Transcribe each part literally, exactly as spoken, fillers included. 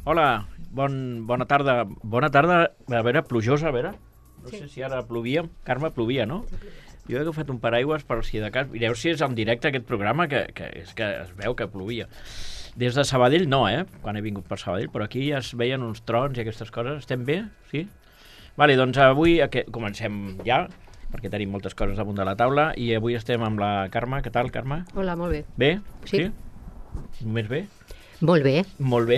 Hola, bon, bona tarda. Bona tarda, a veure, plujosa, a veure. No sí. sé si ara plovia. Carme, plovia, no? Sí, plovia. Jo he agafat un paraigües per si de cas... Mireu si és en directe aquest programa, que, que, és que es veu que plovia. Des de Sabadell no, eh? Quan he vingut per Sabadell, però aquí ja es veien uns trons i aquestes coses. Estem bé? Sí? Vale, doncs avui que... comencem ja, perquè tenim moltes coses damunt de la taula, i avui estem amb la Carme. Què tal, Carme? Hola, molt bé. Bé? Sí. sí? Només bé? Molt bé. Molt bé.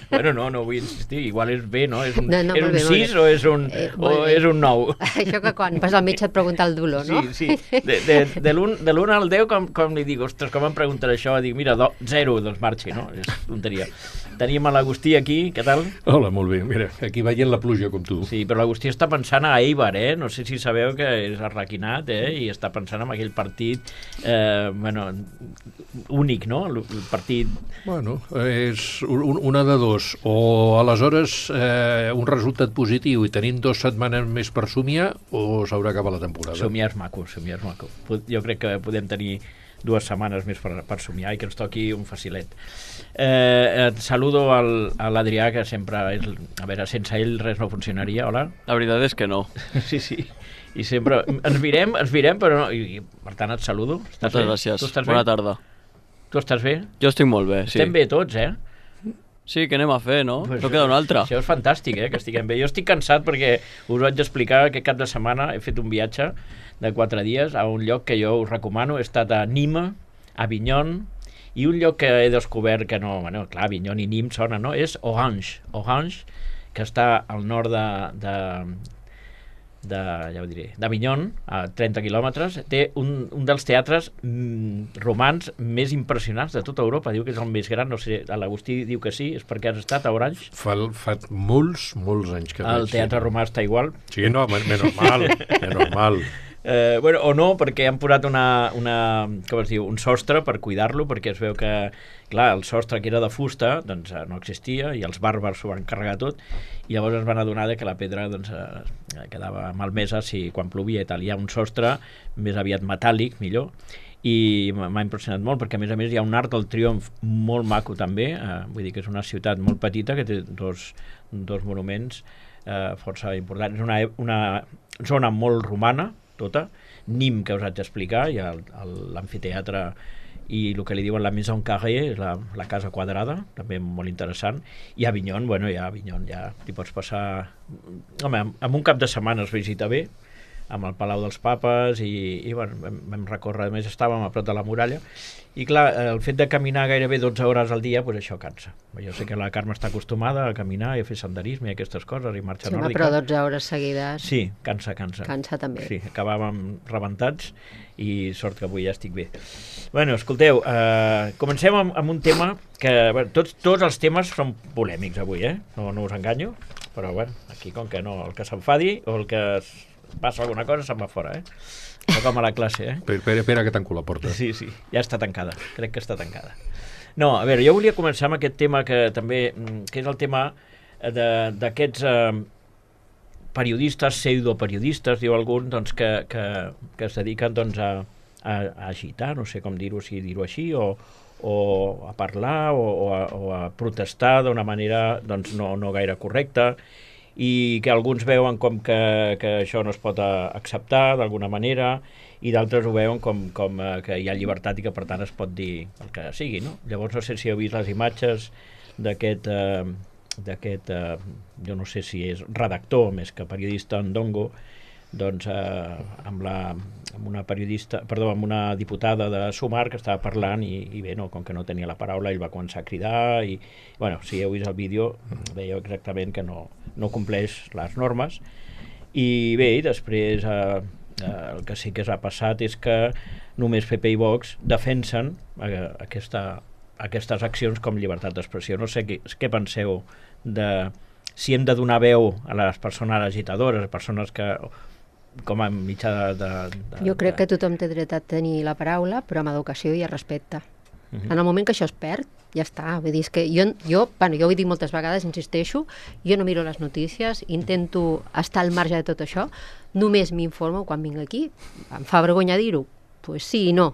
Bueno, no, no vull insistir. Igual és bé, no? És un, no, no, és un bé, sis o és un, eh, o és un nou? Això que quan vas al metge et pregunta el dolor, no? Sí, sí. De, de, de l'un al deu, com, com li dic, ostres, com em pregunten això? Dic, mira, do, zero, doncs marxi, no? És tonteria. Tenim a l'Agustí aquí, què tal? Hola, molt bé. Mira, aquí veient la pluja com tu. Sí, però l'Agustí està pensant a Eibar, eh? No sé si sabeu que és arraquinat, eh? I està pensant en aquell partit, eh, bueno, únic, no? El, el partit... Bueno, és un, una de dos. O aleshores eh, un resultat positiu i tenim dues setmanes més per somiar, o s'haurà acabat la temporada. Somiar és maco, somiar és maco. Jo crec que podem tenir dues setmanes més per, per somiar i que ens toqui un facilet. Eh, et saludo al, a l'Adrià, que sempre és... A veure, sense ell res no funcionaria. Hola. La veritat és que no. Sí, sí. I sempre... Ens mirem, ens mirem, però no... I, per tant, et saludo. Estàs Moltes bé? gràcies. Tu estàs Bona bé? tarda. Tu estàs bé? Jo estic molt bé, sí. Estem bé tots, eh? Sí, què anem a fer, no? Pues no queda una altra. Això és fantàstic, eh, que estiguem bé. Jo estic cansat perquè us vaig explicar que cap de setmana he fet un viatge de quatre dies a un lloc que jo us recomano. He estat a Nîmes, a Avignon, i un lloc que he descobert que no... Bueno, clar, Avignon i Nîmes sona, no? És Orange. Orange, que està al nord de... de de, ja ho diré, d'Avignon, a trenta quilòmetres, té un, un dels teatres mm, romans més impressionants de tota Europa. Diu que és el més gran, no sé, l'Agustí diu que sí, és perquè has estat a Orange. Fa, fa molts, molts anys que el teatre sí. romà està igual. Sí, no, menys mal, menys mal. Eh, bueno, o no, perquè han posat una, una, com es diu, un sostre per cuidar-lo, perquè es veu que, clar, el sostre que era de fusta doncs, no existia, i els bàrbars s'ho van carregar tot, i llavors es van adonar que la pedra doncs, eh, quedava malmesa si quan plovia i tal. Hi ha un sostre més aviat metàl·lic, millor, i m'ha impressionat molt, perquè a més a més hi ha un Arc del Triomf molt maco també, eh, vull dir que és una ciutat molt petita que té dos, dos monuments eh, força importants. És una, una zona molt romana, tota. Nîmes, que us haig d'explicar, hi ha l'amfiteatre i el que li diuen la Maison Carrée, la, la casa quadrada, també molt interessant. I Avignon, bueno, ja Avignon ja t'hi pots passar... Home, en un cap de setmana es visita bé, amb el Palau dels Papes, i, i bueno, vam, vam recórrer, a més estàvem a prop de la muralla, i clar, el fet de caminar gairebé dotze hores al dia, pues això cansa. Jo sé que la Carme està acostumada a caminar i a fer senderisme i aquestes coses, i marxa sí, nòrdica. Però dotze hores seguides... Sí, cansa, cansa. Cansa també. Sí, acabàvem rebentats, i sort que avui ja estic bé. Bueno, escolteu, eh, comencem amb, amb un tema que... Bueno, tots, tots els temes són polèmics avui, eh? No, no us enganyo, però bueno, aquí com que no, el que s'enfadi o el que passa alguna cosa se'n va fora, eh? No com a la classe, eh? Espera, espera que tanco la porta. Sí, sí, ja està tancada, crec que està tancada. No, a veure, jo volia començar amb aquest tema que també, que és el tema d'aquests eh, periodistes, pseudoperiodistes, diu algun, doncs, que, que, que es dediquen doncs, a, a, a agitar, no sé com dir-ho, si dir-ho així, o, o a parlar, o, o, a, o a protestar d'una manera doncs, no, no gaire correcta, i que alguns veuen com que, que això no es pot acceptar d'alguna manera, i d'altres ho veuen com, com que hi ha llibertat i que per tant es pot dir el que sigui, no? Llavors no sé si heu vist les imatges d'aquest, eh, d'aquest eh, jo no sé si és redactor més que periodista Ndongo, doncs eh, amb, la, amb una periodista, perdó, amb una diputada de Sumar que estava parlant i, i bé, no, com que no tenia la paraula, ell va començar a cridar i, bueno, si heu vist el vídeo veieu exactament que no, no compleix les normes. I bé, després eh, eh, el que sí que s'ha passat és que només P P i Vox defensen eh, aquesta, aquestes accions com llibertat d'expressió. No sé què, què penseu de si hem de donar veu a les persones agitadores, a persones que com a mitjà de, de, de... Jo crec que tothom té dret a tenir la paraula, però amb educació i respecte. Uh-huh. En el moment que això es perd, ja està. Vull dir, és que jo, jo, bueno, jo ho he dit moltes vegades, insisteixo, jo no miro les notícies, intento estar al marge de tot això, només m'informo quan vinc aquí. Em fa vergonya dir-ho? Pues sí i no,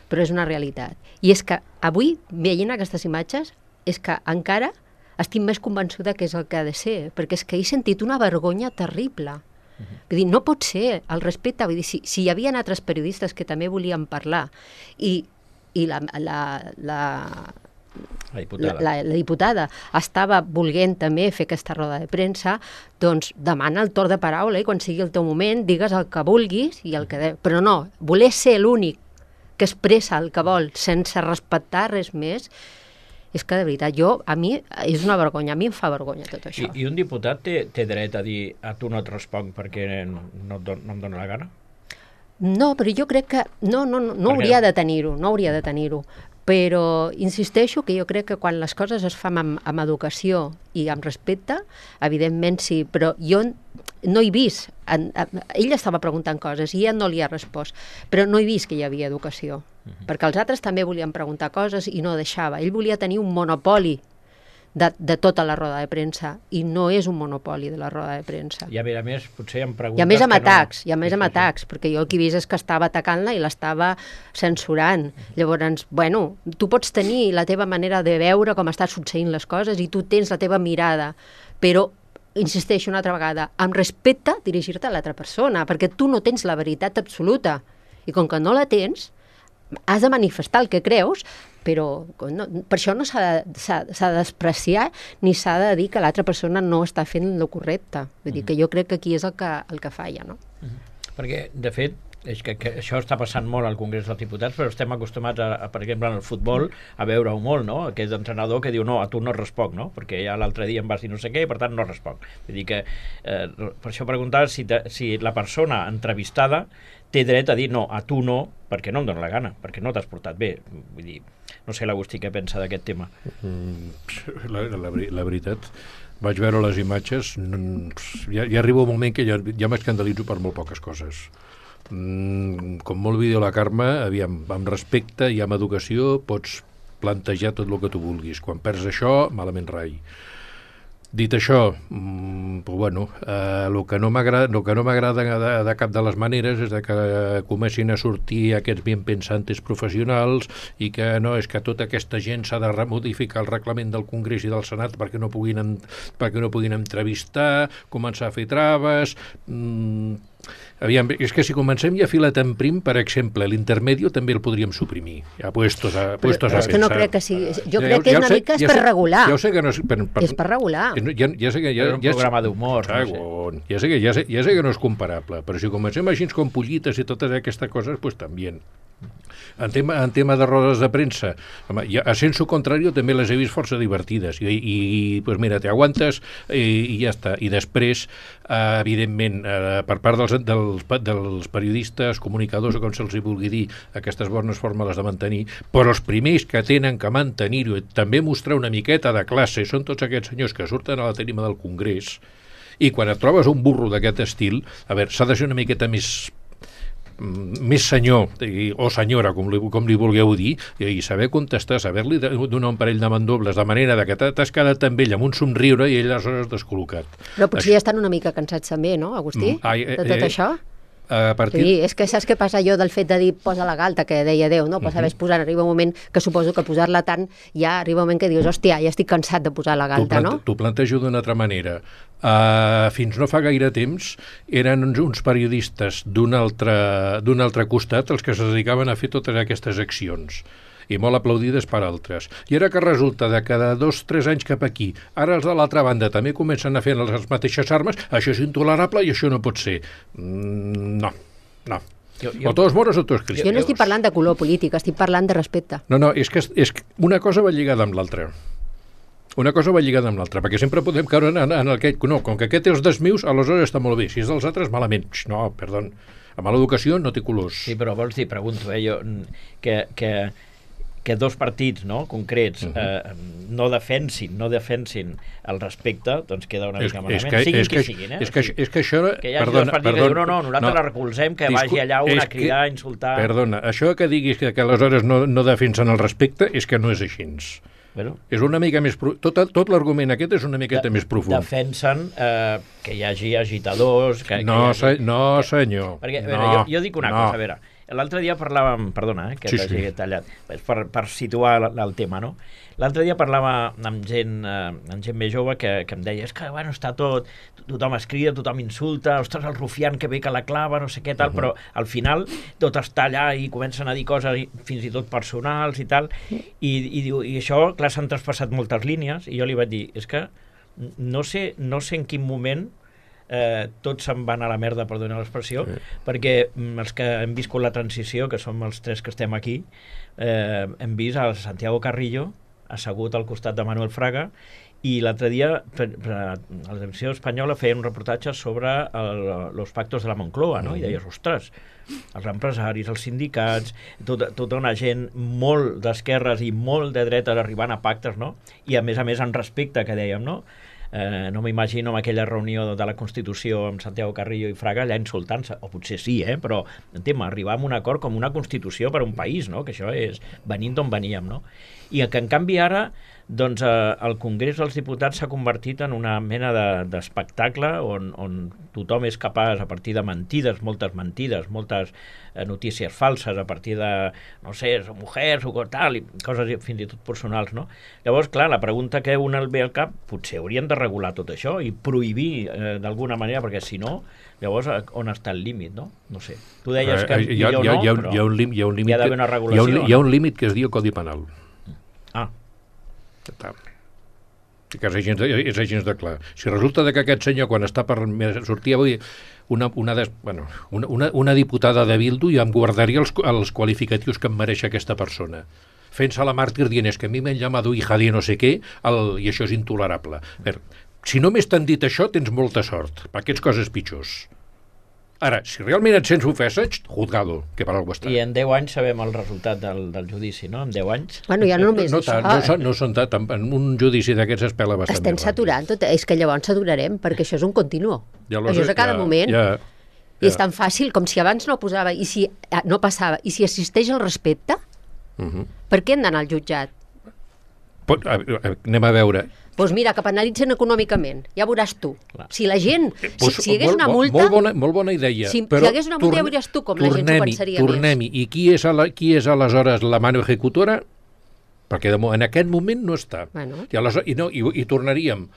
però és una realitat. I és que avui, veient aquestes imatges, és que encara estic més convençuda que és el que ha de ser, perquè és que he sentit una vergonya terrible. Vull dir, no pot ser, el respecte, vull dir, si, si hi havia altres periodistes que també volien parlar i, i la, la, la, la, diputada. La, la diputada estava volent també fer aquesta roda de premsa, doncs demana el torn de paraula i quan sigui el teu moment digues el que vulguis i el que de... però no, voler ser l'únic que expressa el que vol sense respectar res més, és que de veritat, jo, a mi és una vergonya, a mi em fa vergonya tot això. I, i un diputat té, té dret a dir a tu no et responc perquè no, no, no em dóna la gana? No, però jo crec que no, no, no, no hauria de tenir-ho, no hauria de tenir-ho. Però insisteixo que jo crec que quan les coses es fan amb, amb educació i amb respecte, evidentment sí, però jo no he vist, en, en, ell estava preguntant coses i ella no li ha respost, però no he vist que hi havia educació, uh-huh. perquè els altres també volien preguntar coses i no deixava. Ell volia tenir un monopoli de, de tota la roda de premsa i no és un monopoli de la roda de premsa. I a més a més, potser hi ha preguntes... I a més amb atacs, no... i a més amb atacs, perquè jo el que he vist és que estava atacant-la i l'estava censurant. Llavors, bueno, tu pots tenir la teva manera de veure com estan succeint les coses i tu tens la teva mirada, però insisteixo una altra vegada, amb respecte dirigir-te a l'altra persona, perquè tu no tens la veritat absoluta. I com que no la tens, has de manifestar el que creus, però no, per això no s'ha de despreciar ni s'ha de dir que l'altra persona no està fent el correcte. Vull dir que jo crec que aquí és el que, el que falla, no? Perquè, de fet, és que, que això està passant molt al Congrés dels Diputats, però estem acostumats, a, a, per exemple, en el futbol, a veure-ho molt, no? Aquest entrenador que diu, no, a tu no responc, no? Perquè ja l'altre dia em vas dir no sé què i, per tant, no responc. Vull dir que, eh, per això preguntar si, te, si la persona entrevistada té dret a dir, no, a tu no, perquè no em dóna la gana, perquè no t'has portat bé. Vull dir, no sé l'Agustí què pensa d'aquest tema. Mm, la, la, la veritat, vaig veure les imatges, ja, ja arriba un moment que ja, ja m'escandalitzo per molt poques coses. Mm, com molt vídeo la Carme, aviam, amb respecte i amb educació pots plantejar tot el que tu vulguis. Quan perds això, malament rai. Dit això, mmm, pues bueno, eh, el que no m'agrada el que no m'agrada de, de cap de les maneres és de que comencin a sortir aquests bien pensantes professionals i que no, és que tota aquesta gent s'ha de modificar el reglament del Congrés i del Senat perquè no puguin, en, perquè no puguin entrevistar, començar a fer traves... Mmm, Aviam, és que si comencem ja filat en prim, per exemple, l'intermedio també el podríem suprimir. Ja puestos a, puestos però a és que no crec que sigui... Jo crec que és una mica és per regular. Ja ho sé que no és... Per, per, és per regular. Ja, ja sé que ja, és un ja, programa d'humor. No sé. ja, sé que, ja, sé, ja sé que no és comparable, però si comencem així com pollites i totes aquestes coses, pues també... En tema, en tema de rodes de premsa, home, ja, a sensu contrario també les he vist força divertides i, i, i pues mira, t'aguantes i, i ja està. I després, eh, evidentment, eh, per part dels, dels, dels periodistes, comunicadors o com se'ls hi vulgui dir, aquestes bones fórmules de mantenir, però els primers que tenen que mantenir-ho i també mostrar una miqueta de classe són tots aquests senyors que surten a la tarima del Congrés i quan et trobes un burro d'aquest estil, a veure, s'ha de ser una miqueta més més senyor o senyora, com li, com li vulgueu dir, i saber contestar, saber-li donar un parell de mandobles, de manera de que t'has quedat amb ell amb un somriure i ell aleshores descol·locat. Però potser Això... ja estan una mica cansats també, no, Agustí? Mm, ai, eh, de tot eh, això? A partir... Sí, és que saps què passa jo del fet de dir posa la galta, que deia Déu, no? Pues uh-huh. sabes posar, arriba un moment que suposo que posar-la tant, ja arriba un moment que dius, hòstia, ja estic cansat de posar la galta, plante, no? T'ho plantejo d'una altra manera. Uh, fins no fa gaire temps eren uns, uns periodistes d'un altre, d'un altre costat els que es dedicaven a fer totes aquestes accions i molt aplaudides per altres. I ara que resulta de cada dos o tres anys cap aquí, ara els de l'altra banda també comencen a fer les mateixes armes, això és intolerable i això no pot ser. Mm, no, no. Jo, jo, o tots moros o tots cristians. Jo no estic parlant de color polític, estic parlant de respecte. No, no, és que, és que una cosa va lligada amb l'altra. Una cosa va lligada amb l'altra, perquè sempre podem caure en, en el que... No, com que aquest és dels meus, aleshores està molt bé. Si és dels altres, malament. No, perdó. Amb l'educació no té colors. Sí, però vols dir, pregunto, eh, jo, que, que, que dos partits, no, concrets uh-huh. eh, no defensin, no defensin el respecte, doncs queda una mica malament. Que, siguin qui siguin, eh? És que, és que això... Que hi hagi perdona, dos partits perdona, que diuen, no, no, nosaltres no, la recolzem, que discu- vagi allà un a cridar, a insultar... Perdona, això que diguis que, que aleshores no, no defensen el respecte és que no és així. Bueno, és una mica més... Pro... Tot, tot l'argument aquest és una miqueta de, més profund. Defensen eh, que hi hagi agitadors... Que, no, que hi hagi... se, no, senyor. Perquè, a no, veure, jo, jo dic una no. cosa, a veure, l'altre dia parlàvem, perdona, eh, que sí, t'hagi sí. tallat, per, per situar el, el tema, no? L'altre dia parlava amb gent, eh, amb gent més jove que, que em deia, és que, bueno, està tot, tothom es crida, tothom insulta, ostres, el rufián que ve que la clava, no sé què, tal, uh -huh. però al final tot està allà i comencen a dir coses fins i tot personals i tal, i, i, diu, i això, clar, s'han traspassat moltes línies, i jo li vaig dir, és que no sé, no sé en quin moment eh, tots se'n van a la merda, per donar l'expressió, sí. perquè mm, els que hem viscut la transició, que som els tres que estem aquí, eh, hem vist el Santiago Carrillo assegut al costat de Manuel Fraga, i l'altre dia per, per, a la televisió espanyola feia un reportatge sobre els pactos de la Moncloa, no? I deies, ostres, els empresaris, els sindicats, tota, tota una gent molt d'esquerres i molt de dretes arribant a pactes, no? I a més a més en respecte, que dèiem, no? Eh, no m'imagino amb aquella reunió de la Constitució amb Santiago Carrillo i Fraga allà insultant-se, o potser sí, eh? Però entenc, arribar a un acord com una Constitució per a un país, no? Que això és venint d'on veníem, no? I que en canvi ara doncs eh, el Congrés dels Diputats s'ha convertit en una mena d'espectacle de, on, on tothom és capaç, a partir de mentides, moltes mentides, moltes eh, notícies falses, a partir de, no sé, són mujeres o tal, i coses fins i tot personals, no? Llavors, clar, la pregunta que un el ve al cap, potser haurien de regular tot això i prohibir eh, d'alguna manera, perquè si no, llavors on està el límit, no? No sé. Tu deies que eh, hi ha, millor hi ha, no, hi ha, però hi ha un, hi ha un límit, hi ha d'haver una regulació. Hi ha un, hi ha un límit que es diu Codi Penal. Ah. Que és gens, de, és gens de clar. Si resulta que aquest senyor, quan està per sortir avui, una, una, des, bueno, una, una, una diputada de Bildu, ja em guardaria els, els qualificatius que em mereix aquesta persona. Fent-se la màrtir dient és que a mi m'han llamat hija de no sé què, el, i això és intolerable. Ver, si només t'han dit això, tens molta sort, perquè ets coses pitjors. Ara, si realment et sents ofesa, juzgado, que per algú està. I en deu anys sabem el resultat del, del judici, no? En deu anys. Bueno, ja no només no, no, això. no, són, no són tant, en un judici d'aquests es pela bastant. Estem saturant tot, és que llavors saturarem, perquè això és un continuo. Ja això és a cada ja, moment. Ja, ja. I és tan fàcil com si abans no posava, i si no passava, i si assisteix al respecte, uh -huh. per què hem d'anar al jutjat? Pot, a, a, anem a veure. Doncs mira, que penalitzen econòmicament, ja veuràs tu. Clar. Si la gent, si, pues, si hi hagués molt, una multa... Molt bona, molt bona idea. Si, però si hi hagués una multa, ja veuràs tu com la gent s'ho pensaria tornem més. I qui és, la, qui és aleshores la mano ejecutora? Perquè de, en aquest moment no està. Bueno. I, aleshores, i, no, i, i tornaríem.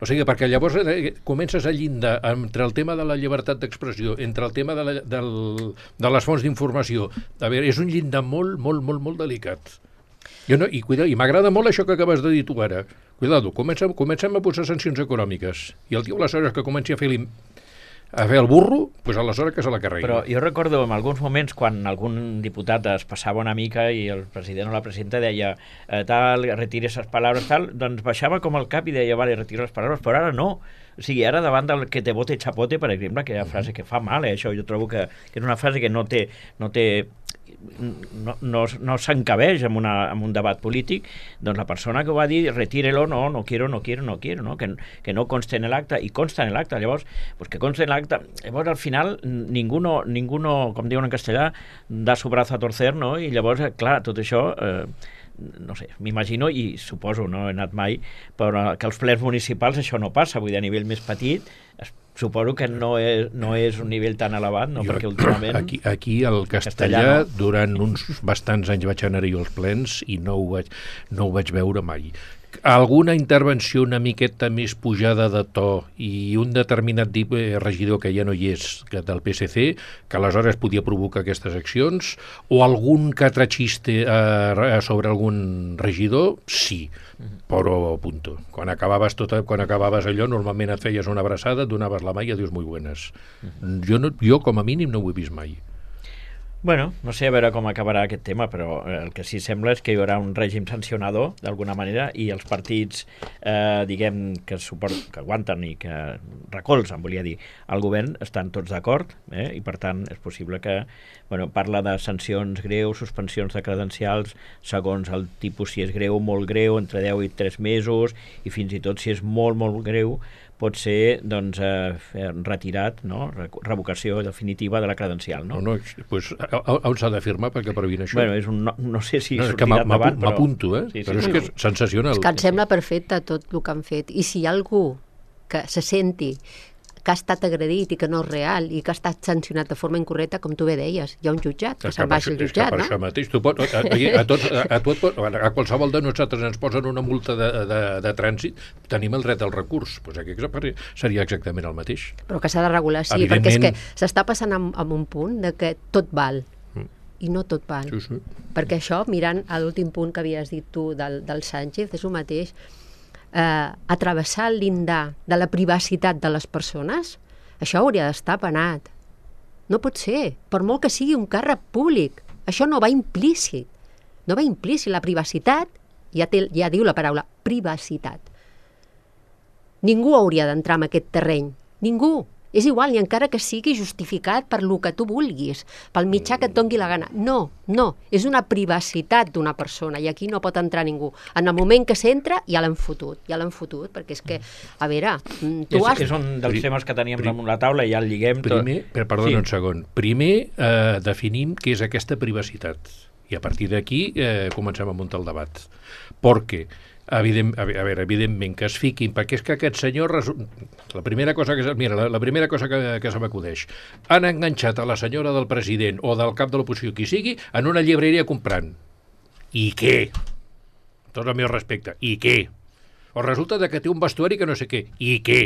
O sigui, perquè llavors eh, comences a llindar entre el tema de la llibertat d'expressió, entre el tema de, la, del, de les fonts d'informació. A veure, és un llindar molt, molt, molt, molt delicat. Jo no, i i m'agrada molt això que acabes de dir tu ara. Cuidado, comencem, comencem a posar sancions econòmiques. I el tio, aleshores, que comenci a fer, a fer el burro, doncs aleshores que se la carregui. Però jo recordo en alguns moments quan algun diputat es passava una mica i el president o la presidenta deia eh, tal, retire esas palabras, tal, doncs baixava com el cap i deia, vale, retiro les paraules, però ara no. O sigui, ara davant del que te bote chapote, per exemple, que hi ha frase que fa mal, eh, això jo trobo que, que és una frase que no té... No té no, no, no s'encabeix en, una, en un debat polític, doncs la persona que ho va dir, retírelo, no, no quiero, no quiero, no quiero, no? Que, que no conste en l'acte, i consta en l'acte, llavors, pues que conste en l'acte, llavors al final ningú, no, ningú no, com diuen en castellà, da su brazo a torcer, no? I llavors, clar, tot això... Eh, no sé, m'imagino, i suposo, no he anat mai, però que als plens municipals això no passa, vull dir, a nivell més petit, suposo que no és, no és un nivell tan elevat, no? Jo, perquè últimament... Aquí, aquí el castellà, castellà no? Durant uns bastants anys vaig anar-hi als plens i no ho vaig, no ho vaig veure mai. Alguna intervenció una miqueta més pujada de to i un determinat regidor que ja no hi és, que del P S C, que aleshores podia provocar aquestes accions, o algun catrachiste eh, sobre algun regidor, sí, però punto. Quan acabaves, tot, quan acabaves allò, normalment et feies una abraçada, et donaves la mà i adiós muy buenas. Jo, no, jo com a mínim no ho he vist mai. Bueno, no sé a veure com acabarà aquest tema, però el que sí sembla és que hi haurà un règim sancionador, d'alguna manera, i els partits, eh, diguem, que, suport, que aguanten i que recolzen, volia dir, el govern, estan tots d'acord, eh, i per tant és possible que, bueno, parla de sancions greus, suspensions de credencials, segons el tipus, si és greu, molt greu, entre deu i tres mesos, i fins i tot si és molt, molt greu, pot ser doncs, eh, retirat, no? Revocació definitiva de la credencial. No, no, no pues, on s'ha de firmar perquè previn això? Bueno, és un, no, no sé si no, sortirà endavant, però... M'apunto, eh? Sí, sí, però sí, és que és sensacional. És que em sembla perfecte tot el que han fet. I si hi ha algú que se senti que ha estat agredit i que no és real i que ha estat sancionat de forma incorrecta, com tu bé deies, hi ha un jutjat, que se'n baixa el jutjat, per no? això mateix, tu pot, a, a, tots, a, a, tot, a qualsevol de nosaltres ens posen una multa de, de, de trànsit, tenim el dret al recurs, doncs aquí seria exactament el mateix. Però que s'ha de regular, sí, perquè és que s'està passant en, en un punt de que tot val, mm. i no tot val. Sí, sí. Perquè això, mirant a l'últim punt que havies dit tu del, del Sánchez, és el mateix, eh, atravessar el llindar de la privacitat de les persones, això hauria d'estar penat. No pot ser, per molt que sigui un càrrec públic. Això no va implícit. No va implícit. La privacitat, ja, té, ja diu la paraula, privacitat. Ningú hauria d'entrar en aquest terreny. Ningú. És igual, ni encara que sigui justificat per lo que tu vulguis, pel mitjà que et doni la gana. No, no, és una privacitat d'una persona i aquí no pot entrar ningú. En el moment que s'entra ja l'han fotut, ja l'han fotut, perquè és que, a veure, tu és, has... És un dels temes que teníem damunt la taula i ja el lliguem tot. Primer, per, perdona sí. un segon, primer eh, definim què és aquesta privacitat i a partir d'aquí eh, comencem a muntar el debat. Perquè Evident, a veure, evidentment que es fiquin, perquè és que aquest senyor la primera cosa que mira, la, la primera cosa que, que se m'acudeix, han enganxat a la senyora del president o del cap de l'oposició, qui sigui, en una llibreria comprant. I què? Tot el meu respecte. I què? O resulta de que té un vestuari que no sé què. I què?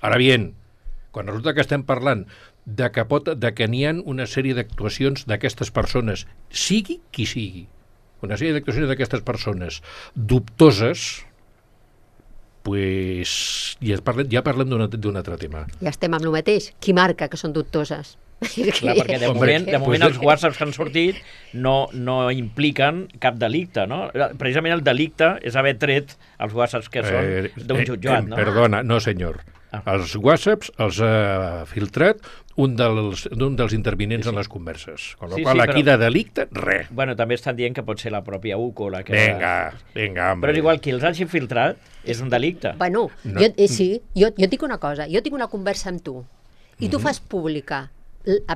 Ara bien, quan resulta que estem parlant de que, pot, de que n'hi ha una sèrie d'actuacions d'aquestes persones, sigui qui sigui, una sèrie d'actuacions d'aquestes persones dubtoses, pues, ja parlem, ja parlem d'un altre tema. Ja estem amb el mateix. Qui marca que són dubtoses? Clar, perquè de moment, de moment els whatsapps que han sortit no, no impliquen cap delicte, no? Precisament el delicte és haver tret els whatsapps que són eh, d'un jutjat, eh, no? Perdona, no senyor. Ah. Els whatsapps els ha filtrat un dels, un dels intervinents sí, sí. en les converses. Con sí, qual, sí, aquí però... de delicte, res. Bueno, també estan dient que pot ser la pròpia U C O la que... Vinga, vinga, home. Però és igual, qui els hagi filtrat és un delicte. Bueno, no. jo, eh, sí, jo, jo et dic una cosa, jo tinc una conversa amb tu i mm-hmm. tu fas pública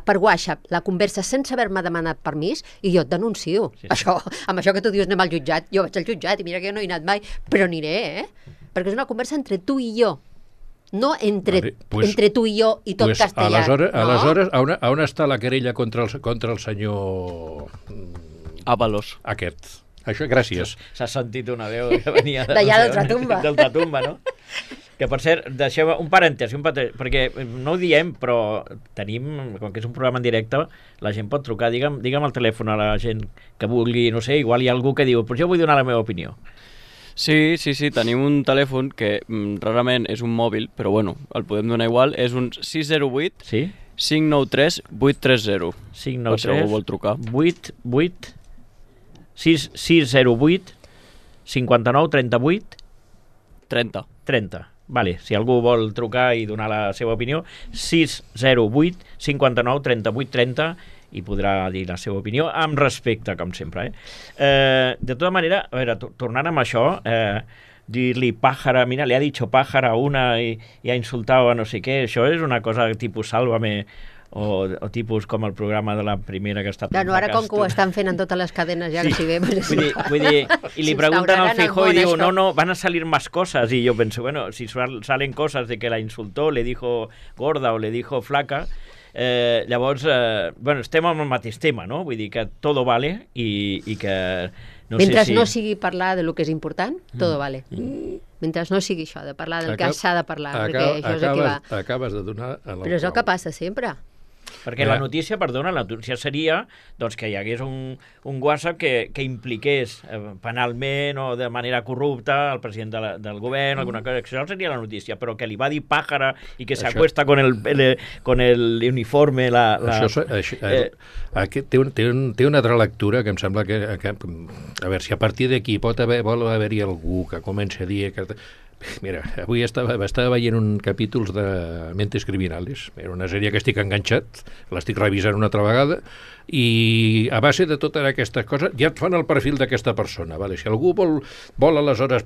per WhatsApp la conversa sense haver-me demanat permís i jo et denuncio. Sí, sí. Això, amb això que tu dius anem al jutjat, jo vaig al jutjat i mira que jo no he anat mai, però aniré, eh? Perquè és una conversa entre tu i jo. No entre, vale, pues, entre tu i jo i tot pues, castellà. Aleshores, no? aleshores on, on està la querella contra el, contra el senyor... Ábalos. Aquest. Això, gràcies. S'ha sentit una veu que venia d'allà no d'Ultratumba. D'Ultratumba, no? Que, per cert, deixeu un parèntesi, un parèntesi, perquè no ho diem, però tenim, com que és un programa en directe, la gent pot trucar. Digue'm, digue'm el telèfon a la gent que vulgui, no sé, igual hi ha algú que diu, però jo vull donar la meva opinió. Sí, sí, sí, tenim un telèfon que mm, rarament és un mòbil, però bueno, el podem donar igual, és un sis zero vuit sí? cinc nou tres vuit tres zero. cinc nou tres vuit vuit sis zero vuit cinquanta-nou trenta-vuit trenta. trenta. Vale, si algú vol trucar i donar la seva opinió, sis zero vuit cinquanta-nou trenta-vuit trenta i podrà dir la seva opinió amb respecte, com sempre. Eh? Eh, de tota manera, a veure, tornant amb això, eh, dir-li pàjara, mira, li ha dit pàjara a una i, i ha insultat a no sé què, això és una cosa tipus Sálvame o, o tipus com el programa de la primera que està... Bueno, ara com que ho estan fent en totes les cadenes ja sí. que si ve... Pues vull, dir, vull dir, i li pregunten al Feijóo i diu, no, no, van a salir más cosas, y yo penso, bueno, si salen cosas de que la insultó, le dijo gorda o le dijo flaca, Eh, llavors, eh, bueno, estem amb el mateix tema, no? Vull dir que tot vale i, i que... No Mentre sé si... no sigui parlar de lo que és important, tot mm. vale. Mm. Mentre no sigui això, de parlar del Acab... que s'ha de parlar, Acab... perquè això és acabes, el que va. Acabes de donar... Però és el que passa sempre. Perquè la notícia, perdona, la notícia seria doncs, que hi hagués un, un WhatsApp que, que impliqués eh, penalment o de manera corrupta el president de la, del govern, alguna cosa, això seria la notícia, però que li va dir pàjara i que s'acuesta con el, el, con el uniforme... La, la, això, això, eh, aquest, té, un, té, un, té una altra lectura que em sembla que... que a veure, si a partir d'aquí pot haver, vol haver-hi algú que comenci a dir... Que, mira, avui estava, estava veient un capítol de Mentes Criminales, era una sèrie que estic enganxat, l'estic revisant una altra vegada, i a base de totes aquestes coses ja et fan el perfil d'aquesta persona, vale? Si algú vol, vol aleshores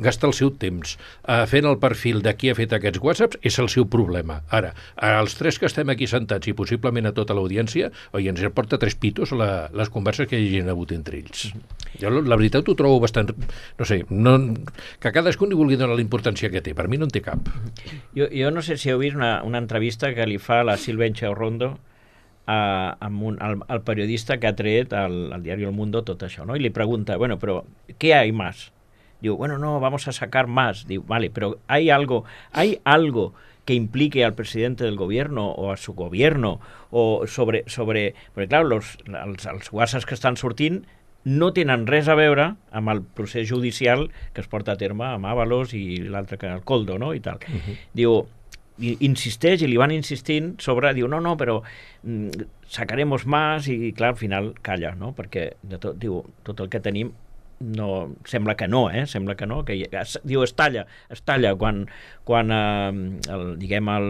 gastar el seu temps uh, fent el perfil de qui ha fet aquests whatsapps, és el seu problema. Ara, els tres que estem aquí sentats i possiblement a tota l'audiència, oi, ens porta tres pitos la, les converses que hi hagin hagut entre ells. Jo la veritat ho trobo bastant, no sé, no, que cadascú li vulgui donar dona la importància que té. Per mi no en té cap. Jo, jo no sé si heu vist una, una entrevista que li fa la Silvencha Rondo a, a un, al, al periodista que ha tret al, al diari El Mundo tot això, ¿no? Y le pregunta, bueno, pero ¿qué hay más? Digo, bueno, no, vamos a sacar más. Digo, vale, pero ¿hay algo, hay algo que implique al presidente del gobierno o a su gobierno o sobre... sobre porque, claro, los, els, els guasses que estan sortint no tenen res a veure amb el procés judicial que es porta a terme amb Ábalos i l'altre que el Coldo, no? I tal. Uh-huh. Diu, insisteix i li van insistint sobre, diu, no, no, però mm, sacaremos más i, clar, al final calla, no? Perquè de tot, diu, tot el que tenim no, sembla que no, eh? Sembla que no, que es, diu, es talla, es talla quan, quan eh, el, diguem, el,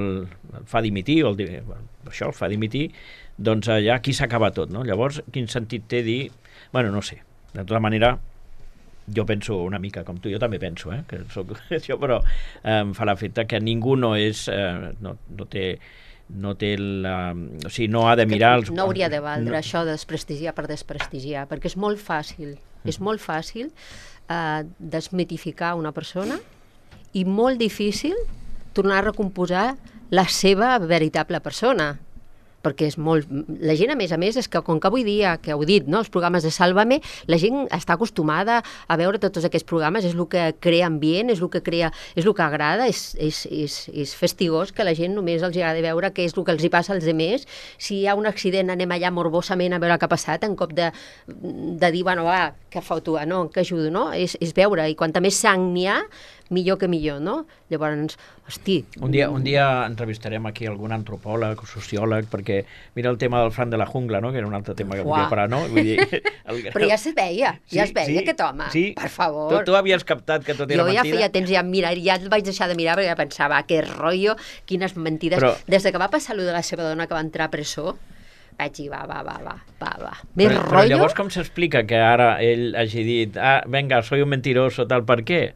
el fa dimitir, o el, això, el fa dimitir, doncs eh, ja aquí s'acaba tot, no? Llavors, quin sentit té dir... Bueno, no sé, de tota manera, jo penso una mica com tu, jo també penso, eh, que soc això, però eh, em fa l'efecte que ningú no és, eh, no, no té, no té la... O sigui, no ha de mirar... Els... No hauria de valdre no. això de desprestigiar per desprestigiar, perquè és molt fàcil, mm. és molt fàcil eh, desmitificar una persona i molt difícil tornar a recomposar la seva veritable persona. Perquè és molt... La gent, a més a més, és que com que avui dia, que heu dit, no, els programes de Sálvame, la gent està acostumada a veure tots aquests programes, és el que crea ambient, és el que crea, és el que agrada, és, és, és, és festigós que la gent només els agrada veure què és el que els hi passa als altres. Si hi ha un accident, anem allà morbosament a veure què ha passat, en cop de, de dir, bueno, va, què feu tu, no, que ajudo, no? És, és veure, i quanta més sang n'hi ha, millor que millor, no? Llavors, hosti... Un dia, un dia entrevistarem aquí algun antropòleg o sociòleg, perquè mira el tema del Fran de la Jungla, no? Que era un altre tema que Uah. volia parar, no? Vull dir, el... Però ja es veia, Sí, ja es veia sí, aquest home, sí. per favor. Tu, tu havies captat que tot era jo ja mentida? feia temps ja mirar, ja el vaig deixar de mirar perquè ja pensava, que rotllo, quines mentides. Però... Des de que va passar allò de la seva dona que va entrar a presó, vaig dir, va, va, va, va, va, va. Més Però, però rotllo... llavors com s'explica que ara ell hagi dit, ah, venga, soy un mentiroso, tal, per què?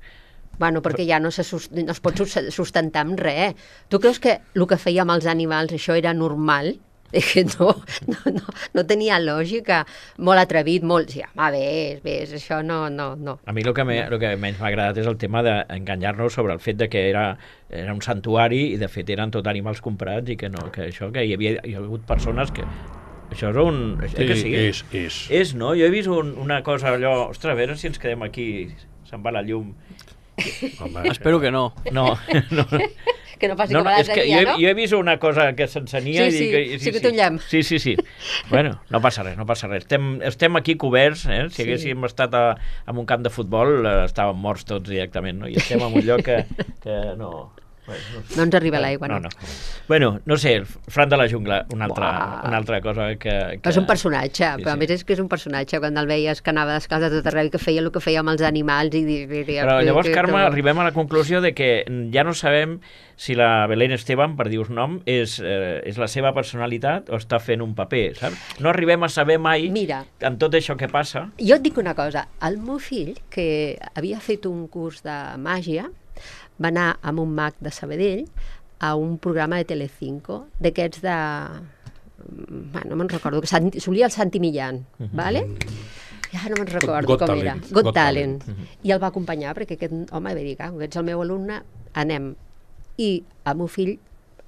Bueno, perquè ja no, se sust... no es pot sustentar amb res. Tu creus que el que feia amb els animals, això era normal? Que no, no, no, no tenia lògica. Molt atrevit, molt... Sí, home, ves, ves, això no, no, no. A mi el que, me, el que menys m'ha agradat és el tema d'enganyar-nos sobre el fet de que era, era un santuari i de fet eren tot animals comprats i que no, que això, que hi havia, hi ha hagut persones que... Això és un... Eh Sí, que sí? és, és. És, no? Jo he vist un, una cosa allò... Ostres, a veure si ens quedem aquí, se'n va la llum... Home, Espero que no. No, no. Que no passi No, com no, a és que l'altre jo, dia, no? jo he vist una cosa que s'encenia Sí, i sí, dic... que- sí que té un llamp. Sí, sí, sí. Bueno, no passa res, no passa res. Estem, estem aquí coberts, eh? Si Sí. haguéssim estat a, en un camp de futbol eh, estàvem morts tots directament, no? I estem en un lloc que, que no... Bueno, no, sé. No ens arriba l'aigua, no, no. no. Bueno, no sé, el Fran de la Jungla, una altra, Uah. una altra cosa que... que... És un personatge, Sí, però a sí. més és que és un personatge, quan el veies que anava descalç a tot arreu i que feia el que feia amb els animals i diria... Però llavors, que- Carme, que- arribem a la conclusió de que ja no sabem si la Belén Esteban, per dir-vos nom, és, eh, és la seva personalitat o està fent un paper, saps? No arribem a saber mai, Mira. amb tot això que passa... Jo et dic una cosa, el meu fill, que havia fet un curs de màgia, va anar amb un mag de Sabadell a un programa de Telecinco, d'aquests de... Bueno, no me'n recordo, que Sant- solia el Santi Millán, uh -huh. vale? Ja no me'n recordo Got com Talent. era. Got, Got Talent. Talent. I el va acompanyar, perquè aquest home va dir, que ets el meu alumne, anem. I el meu fill,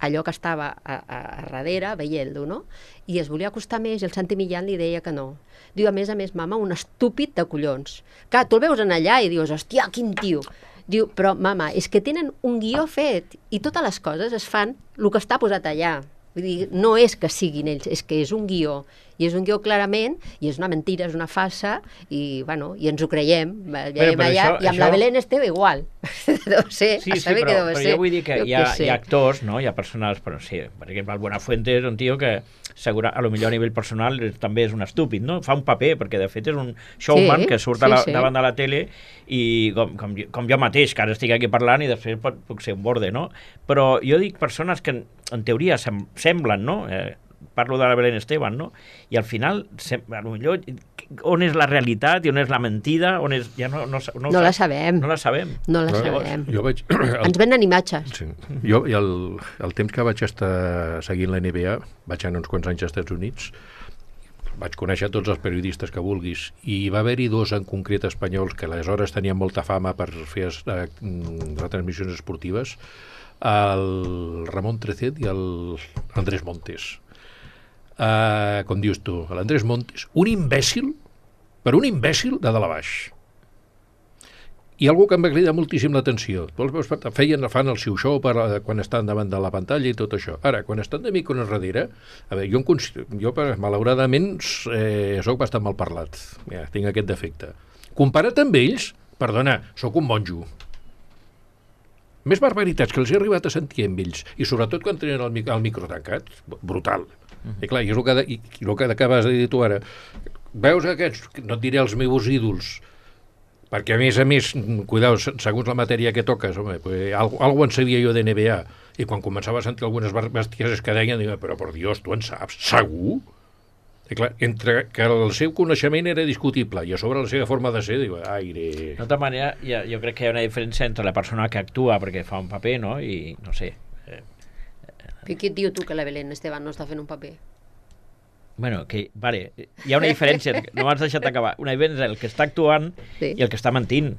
allò que estava a, a, a darrere, veient-lo, no? I es volia acostar més i el Santi Millán li deia que no. Diu, a més a més, mama, un estúpid de collons. Clar, tu el veus en allà i dius, hòstia, quin tio. Diu, però, mama, és que tenen un guió fet i totes les coses es fan el que està posat allà. Vull dir, no és que siguin ells, és que és un guió. I és un guió clarament, i és una mentira, és una falsa, i, bueno, i ens ho creiem. Veiem Bueno, però allà, això- I amb això- la Belén Esteve igual. Deu ser, Sí, a sí, saber però, què deu però ser. jo vull dir que Jo hi ha, què sé. hi ha actors, no? Hi ha persones, però sí, per exemple, el Buenafuente és un tio que segura, a lo millor a nivell personal és- també és un estúpid, no? Fa un paper, perquè de fet és un showman Sí, que surt sí, a la, sí. davant de la tele i com, com, jo- com jo mateix, que ara estic aquí parlant i després pot, puc ser un borde, no? Però jo dic persones que en, en teoria sem semblen, no? Eh, parlo de la Belén Esteban, no? I al final, sem a lo millor, on és la realitat i on és la mentida, on és... Ja no, no, no, ho No la sap- sabem. No la sabem. No la No, sabem. Jo vaig... Ens venen imatges. Sí. Jo, i el, el temps que vaig estar seguint la N B A, vaig anar uns quants anys als Estats Units, vaig conèixer tots els periodistes que vulguis, i va haver-hi dos en concret espanyols que aleshores tenien molta fama per fer eh, retransmissions esportives, el Ramon Trecet i el Andrés Montes. Uh, com dius tu, l'Andrés Montes, un imbècil, per un imbècil de dalt a baix. I algú que em va cridar moltíssim l'atenció. Feien, fan el seu show per, quan estan davant de la pantalla i tot això. Ara, quan estan de micros darrere, a veure, jo, jo malauradament eh, soc bastant mal parlat. Ja, tinc aquest defecte. Comparat amb ells, perdona, sóc un monjo. Més barbaritats que els he arribat a sentir amb ells, i sobretot quan tenen el, el micro tancat, brutal. Uh-huh. I clar, i és el que, i, i el que acabes de dir tu ara. Veus aquests, no et diré els meus ídols, perquè a més a més, cuidao, segons la matèria que toques, home, pues, algo, algo en sabia jo de N B A, i quan començava a sentir algunes bestieses que deien, dic, però per Dios, tu en saps? Segur? I clar, entre que el seu coneixement era discutible i a sobre la seva forma de ser, diu, aire... De tota manera, ja, jo crec que hi ha una diferència entre la persona que actua perquè fa un paper, no?, i no sé... Eh, Però qui et diu tu que la Belén Esteban no està fent un paper? Bueno, que, vale, hi ha una diferència, no m'has deixat acabar, una diferència el que està actuant sí. i el que està mentint.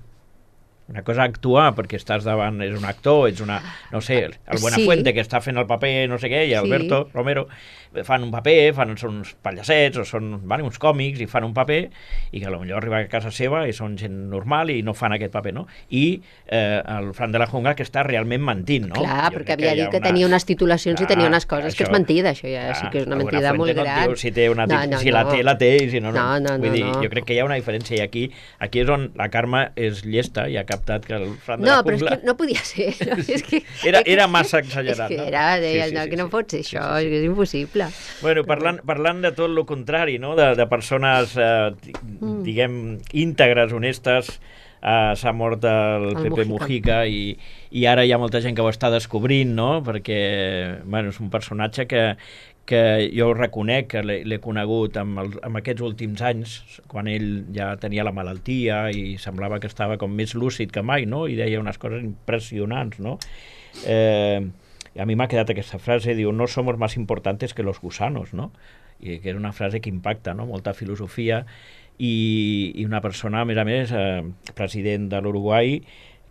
Una cosa actuar perquè estàs davant, és un actor, ets una, no sé, el Buenafuente sí. que està fent el paper, no sé què, i Alberto sí. Romero fan un paper, fan, són uns pallassets o són vale, uns còmics i fan un paper i que potser arriba a casa seva i són gent normal i no fan aquest paper, no? I eh, el Fran de la Jungla que està realment mentint, no? Clar, jo perquè havia dit que una... tenia unes titulacions Clar, i tenia unes coses, això... que és mentida, això ja Clar, sí que és una mentida molt gran. No diu, si té una tit... no, no, si la té, la té, i si no, no. no, no Vull no, dir, no. Jo crec que hi ha una diferència i aquí, aquí és on la Carme és llesta i ha captat que el Fran de no, la Jungla... No, però és que no podia ser. No? És que, era, era massa exagerat, és que no? Era, deia, sí, sí, no, sí, que no sí. pot ser això, sí, sí, sí. És que és impossible. Bueno, parlant, parlant de tot el contrari, no? de, de persones, eh, mm. diguem, íntegres, honestes, eh, s'ha mort el, el Pepe Mujica, Mujica i, i ara hi ha molta gent que ho està descobrint, no? Perquè bueno, és un personatge que, que jo reconec que l'he conegut amb, el, amb aquests últims anys, quan ell ja tenia la malaltia i semblava que estava com més lúcid que mai, no? I deia unes coses impressionants, no? Eh, a mi m'ha quedat aquesta frase, diu, no somos más importantes que los gusanos, no? I que és una frase que impacta, no? Molta filosofia i, i una persona, a més a més, eh, president de l'Uruguai,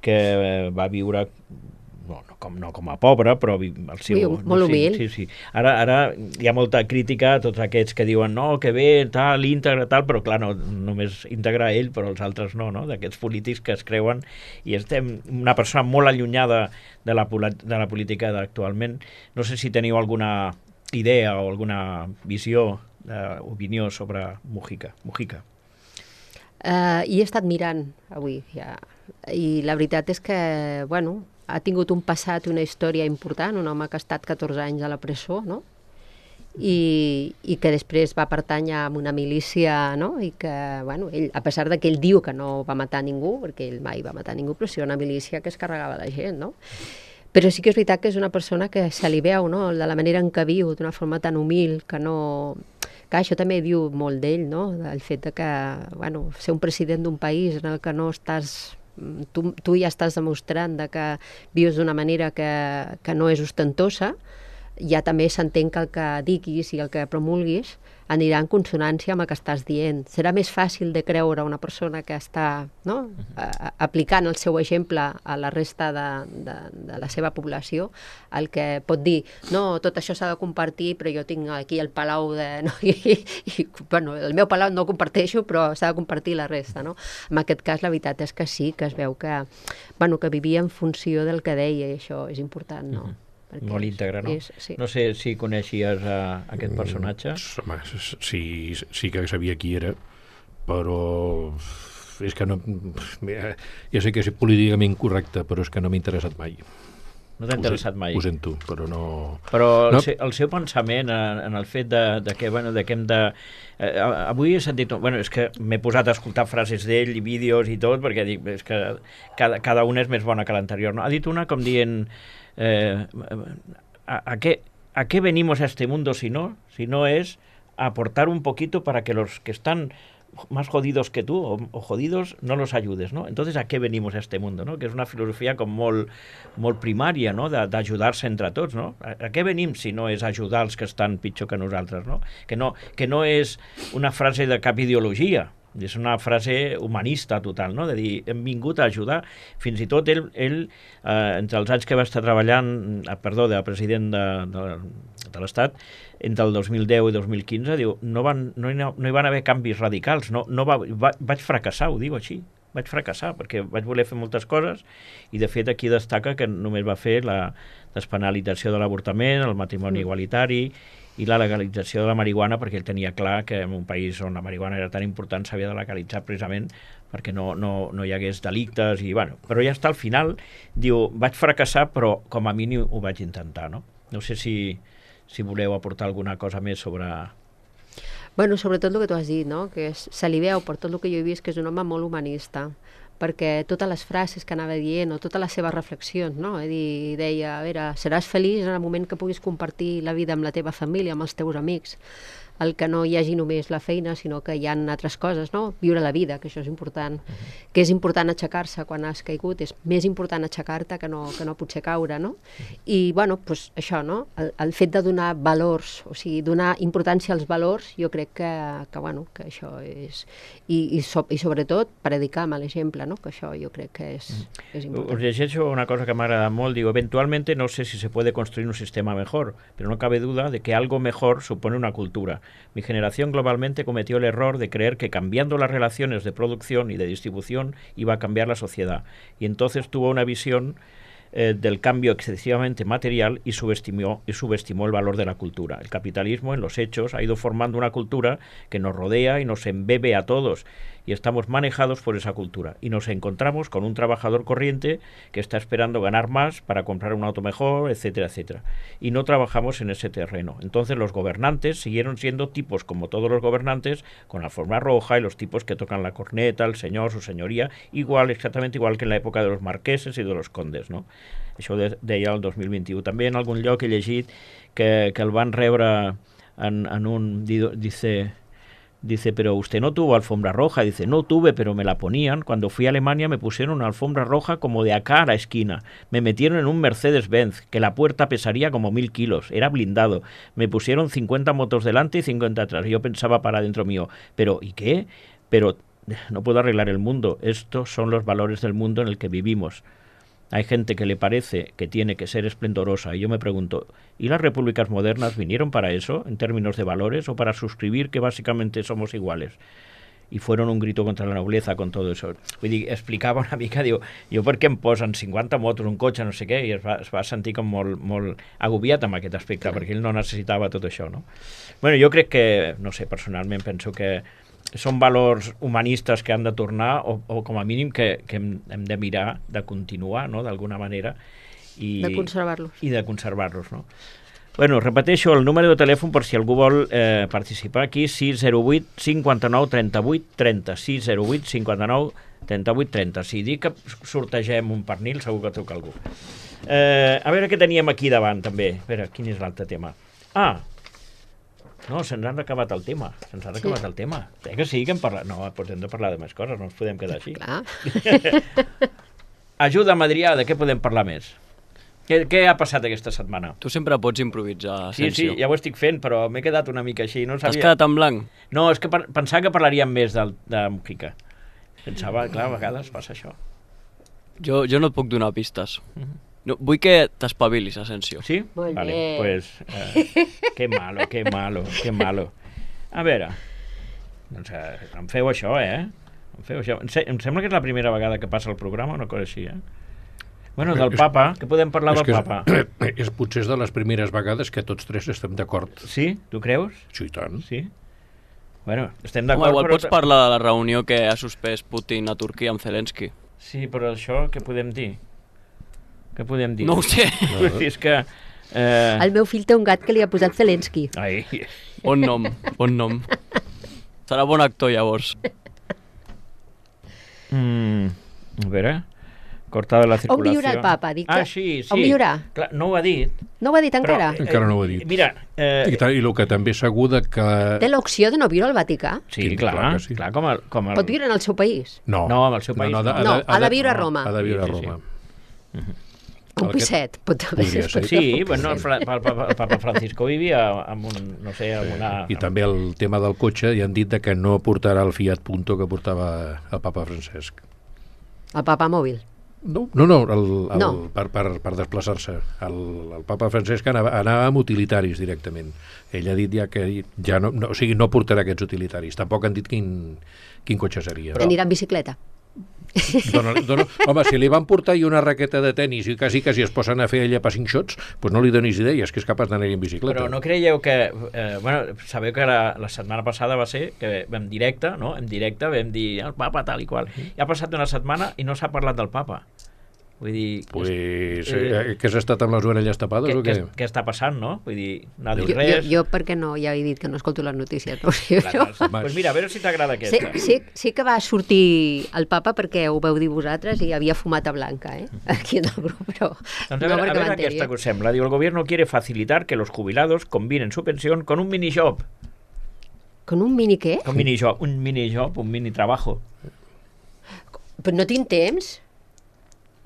que eh, va viure... No, no, com, no com a pobre, però el seu... Sí, molt humil. Sí, sí, sí. Ara, ara hi ha molta crítica a tots aquests que diuen no, que bé, tal, íntegre, tal, però clar, no, només íntegre ell, però els altres no, no? D'aquests polítics que es creuen i estem una persona molt allunyada de la, de la política actualment. No sé si teniu alguna idea o alguna visió, eh, opinió sobre Mujica. Mujica. Uh, I he estat mirant avui, ja. I la veritat és que, bueno... ha tingut un passat i una història important, un home que ha estat catorze anys a la presó, no? I, i que després va pertànyer a una milícia, no? I que, bueno, ell, a pesar de que ell diu que no va matar ningú, perquè ell mai va matar ningú, però sí una milícia que es carregava la gent, no? Però sí que és veritat que és una persona que se li veu, no?, de la manera en què viu, d'una forma tan humil, que no... Que això també diu molt d'ell, no?, del fet de que, bueno, ser un president d'un país en el que no estàs... Tu, tu ja estàs demostrant de que vius d'una manera que, que no és ostentosa, ja també s'entén que el que diguis i el que promulguis anirà en consonància amb el que estàs dient. Serà més fàcil de creure una persona que està, no?, a, aplicant el seu exemple a la resta de, de, de la seva població, el que pot dir, no, tot això s'ha de compartir, però jo tinc aquí el palau de... No? I, i, bueno, el meu palau no el comparteixo, però s'ha de compartir la resta, no? En aquest cas, la veritat és que sí, que es veu que, bueno, que vivia en funció del que deia, i això és important, no? Uh-huh. Molt íntegre, no? És, sí. No sé si coneixies uh, aquest personatge. Mm, home, sí, sí que sabia qui era, però és que no... Ja sé que és políticament correcte, però és que no m'ha interessat mai. No t'ha interessat mai? Ho sento, però no... Però el, no. seu, el seu pensament en, en el fet de, de, que, bueno, de que hem de... Eh, avui he sentit... Bueno, és que m'he posat a escoltar frases d'ell i vídeos i tot, perquè dic, és que cada, cada una és més bona que l'anterior, no? Ha dit una com dient... Eh, a, a, qué, ¿A qué venimos a este mundo si no? Si no es a aportar un poquito para que los que están más jodidos que tú, o, o jodidos, no los ayudes, ¿no? Entonces, ¿a qué venimos a este mundo, no? Que és una filosofia com molt, molt primària, no? D'ajudar-se entre tots, no? A, a què venim si no és ajudar els que estan pitjor que nosaltres, no? Que no, que no és una frase de cap ideologia, és una frase humanista total, no? De dir, hem vingut a ajudar. Fins i tot ell, ell eh, entre els anys que va estar treballant, eh, perdó, de president de, de, de l'Estat, entre el dos mil deu i dos mil quinze, diu, no, van, no, hi, no hi van haver canvis radicals, no, no va, va, vaig fracassar, ho diu així, vaig fracassar, perquè vaig voler fer moltes coses, i de fet aquí destaca que només va fer la despenalització de l'avortament, el matrimoni igualitari, i la legalització de la marihuana, perquè ell tenia clar que en un país on la marihuana era tan important s'havia de legalitzar precisament perquè no, no, no hi hagués delictes, i bueno, però ja està al final, diu, vaig fracassar, però com a mínim ho vaig intentar, no? No sé si, si voleu aportar alguna cosa més sobre... Bueno, sobretot el que tu has dit, no? Que és, se li veu per tot el que jo he vist que és un home molt humanista, perquè totes les frases que anava dient o totes les seves reflexions, no? És dir, deia, a veure, seràs feliç en el moment que puguis compartir la vida amb la teva família, amb els teus amics, el que no hi hagi només la feina, sinó que hi ha altres coses, no? Viure la vida, que això és important. Uh-huh. Que és important aixecar-se quan has caigut, és més important aixecar-te que no, que no potser caure, no? Uh-huh. I, bueno, doncs això, no? El, el fet de donar valors, o sigui, donar importància als valors, jo crec que, que bueno, que això és... I, i, so, i sobretot, predicar amb l'exemple, no? Que això jo crec que és, uh-huh. és important. Us llegeixo una cosa que m'agrada molt, digo, eventualmente no sé si se puede construir un sistema mejor, pero no cabe duda de que algo mejor supone una cultura. Mi generación globalmente cometió el error de creer que cambiando las relaciones de producción y de distribución iba a cambiar la sociedad, y entonces tuvo una visión eh, del cambio excesivamente material y subestimó, y subestimó el valor de la cultura. El capitalismo, en los hechos, ha ido formando una cultura que nos rodea y nos embebe a todos, y estamos manejados por esa cultura. Y nos encontramos con un trabajador corriente que está esperando ganar más para comprar un auto mejor, etcétera, etcétera. Y no trabajamos en ese terreno. Entonces los gobernantes siguieron siendo tipos como todos los gobernantes, con la alfombra roja y los tipos que tocan la corneta, el señor, su señoría, igual, exactamente igual que en la època de los marqueses i de los condes, no? Això de, deia el dos mil vint-i-u. També en algun lloc he llegit que, que el van rebre en, en un... Dice... Dice, pero usted no tuvo alfombra roja. Dice, no tuve, pero me la ponían. Cuando fui a Alemania me pusieron una alfombra roja como de acá a la esquina. Me metieron en un Mercedes-Benz, que la puerta pesaría como mil kilos. Era blindado. Me pusieron cincuenta motos delante y cincuenta atrás. Yo pensaba para dentro mío, pero ¿y qué? Pero no puedo arreglar el mundo. Estos son los valores del mundo en el que vivimos. Hay gente que le parece que tiene que ser esplendorosa, y yo me pregunto, ¿y las repúblicas modernas vinieron para eso, en términos de valores, o para suscribir que básicamente somos iguales? I fueron un grito contra la nobleza con todo eso. Vull dir, explicava una mica, diu, jo per què em posen cinquanta motos, un cotxe, no sé què, i es va, es va sentir com molt, molt agobiat amb aquest aspecte, perquè ell no necessitava tot això, no? Bueno, jo crec que, no sé, personalment penso que són valors humanistes que han de tornar, o, o com a mínim que, que hem, hem de mirar de continuar, no?, d'alguna manera. I, de conservar-los. I de conservar-los, no? Bueno, repeteixo el número de telèfon per si algú vol eh, participar aquí, sis zero vuit cinquanta-nou trenta-vuit trenta, sis zero vuit cinquanta-nou trenta-vuit trenta. Si dic que sortegem un pernil, segur que truca algú. Eh, a veure què teníem aquí davant, també. A veure, quin és l'altre tema? Ah, no, se'ns ha acabat el tema. Se'ns ha acabat sí. el tema. Eh que sí que hem parlat? No, doncs hem de parlar de més coses, no ens podem quedar així. Clar. Ajuda'm, Adrià, de què podem parlar més? Què, què ha passat aquesta setmana? Tu sempre pots improvisar, Sí, Asensio. sí, ja ho estic fent, però m'he quedat una mica així. No T'has sabia... quedat en blanc? No, és que pensava que parlaríem més del, de Mujica. Pensava, clar, a vegades passa això. Jo, jo no et puc donar pistes. No, vull que t'espavilis, Asensio. Sí? Molt vale, bé. pues, eh, que malo, que malo, que malo. A veure, doncs eh, em feu això, eh? Em feu això. Em, se em sembla que és la primera vegada que passa el programa, una cosa així, eh? Bueno, del papa, que podem parlar del és papa? És, és potser de les primeres vegades que tots tres estem d'acord. Sí? Tu creus? Sí, i tant. Sí? Bueno, estem Home, d'acord, igual però... pots parlar de la reunió que ha suspès Putin a Turquia amb Zelensky. Sí, però això què podem dir? Què podem dir? No ho sé. No. És que... Eh... El meu fill té un gat que li ha posat Zelensky. Ai. Bon nom, bon nom. Serà bon actor, llavors. Mm, a veure... Cortada la circulació. On viurà el papa? Dic que... Ah, sí, sí. On viurà? Clar, no ho ha dit. No ho ha dit encara? Però, Encara no ho ha dit. Mira... Eh, I, tal, I el que també és segur de que... Té l'opció de no viure al Vaticà? sí, Sí, clar, clar clar, que sí. clar, com el... Com el... Pot viure en el seu país? No, No, amb el seu país no, no. No, ha de viure a Roma. Ha de viure a Sí, sí, sí. Roma. Un Aquest- pisset. Pot haver Podria ser. Sí, bueno, el, Fra- el, Papa, el Papa Francisco vivia amb un, no sé, amb una... I també el tema del cotxe, ja han dit de que no portarà el Fiat Punto que portava el papa Francesc. El papa mòbil. No, no, no, el, el, No. per, per, per desplaçar-se. El, el papa Francesc anava, anava amb utilitaris directament. Ell ha dit ja que ja no, no, o sigui, no portarà aquests utilitaris. Tampoc han dit quin, quin cotxe seria. Però... Anirà en bicicleta. Dona, dona, home, si li van portar i una raqueta de tennis i quasi quasi es posen a fer ella per cinc shots, doncs no li donis idees, que és capaç d'anar en bicicleta. Però no creieu que... Eh, bueno, sabeu que la, la setmana passada va ser que en directe, no? En directe vam dir el papa tal i qual. I ha passat una setmana i no s'ha parlat del papa. Vull dir... Pues, eh, eh, que has estat amb les orelles tapades què, o què? què, què està passant, no? Vull dir, no ha dit Jo, jo, res. jo, perquè no, ja he dit que no escolto les notícies. No? Sí, Clar, jo... clar, pues mira, a veure si t'agrada Sí, aquesta. sí, sí que va sortir el papa perquè ho veu dir vosaltres i havia fumat a blanca, eh? Aquí en el grup, però Doncs a no veure, a perquè veure m'entengui. aquesta que us sembla. Diu, el gobierno quiere facilitar que los jubilados combinen su pensión con un minijob. Con un mini què? Un minijob, un minijob, un mini trabajo. Però no tinc temps?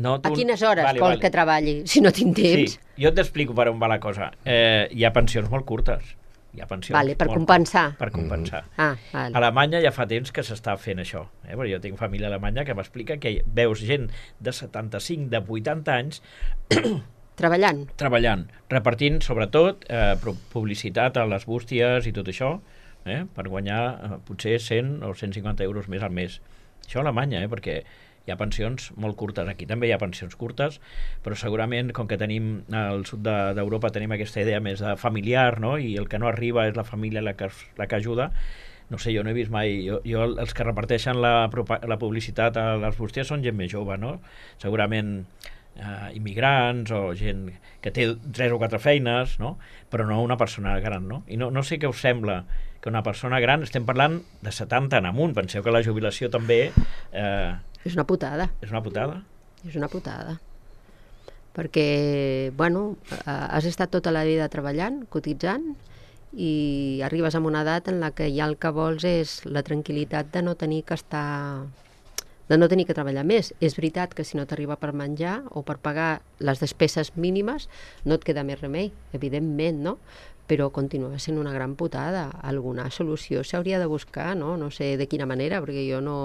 No, A quines hores vale, vol vale. que treballi si no tinc temps? Sí, jo t'explico per on va la cosa. Eh, hi ha pensions molt curtes. Hi ha pensions Vale, per molt compensar. curtes, Per compensar. Ah, A vale. Alemanya ja fa temps que s'està fent això. Eh? Perquè jo tinc família a Alemanya que m'explica que veus gent de setanta-cinc, de vuitanta anys Treballant. treballant, repartint sobretot eh, pro- publicitat a les bústies i tot això, eh? Per guanyar eh, potser cent o cent cinquanta euros més al mes. Això a Alemanya, eh? Perquè hi ha pensions molt curtes. Aquí també hi ha pensions curtes, però segurament, com que tenim al sud de- d'Europa tenim aquesta idea més de familiar, no? I el que no arriba és la família la que, la que ajuda. No sé, jo no he vist mai... Jo, jo els que reparteixen la, propa- la publicitat a les bústies són gent més jove, no? Segurament eh, immigrants o gent que té tres o quatre feines, no? Però no una persona gran, no? I no, no sé què us sembla que una persona gran, estem parlant de setanta en amunt, penseu que la jubilació també eh, És una putada. és una putada. És una putada. Perquè, bueno, eh, has estat tota la vida treballant, cotitzant, i arribes a una edat en la que ja el que vols és la tranquil·litat de no tenir que estar de no tenir que treballar més. És veritat que si no t'arriba per menjar o per pagar les despeses mínimes no et queda més remei, evidentment, no? Però continua sent una gran putada. Alguna solució s'hauria de buscar, no? No sé de quina manera, perquè jo no,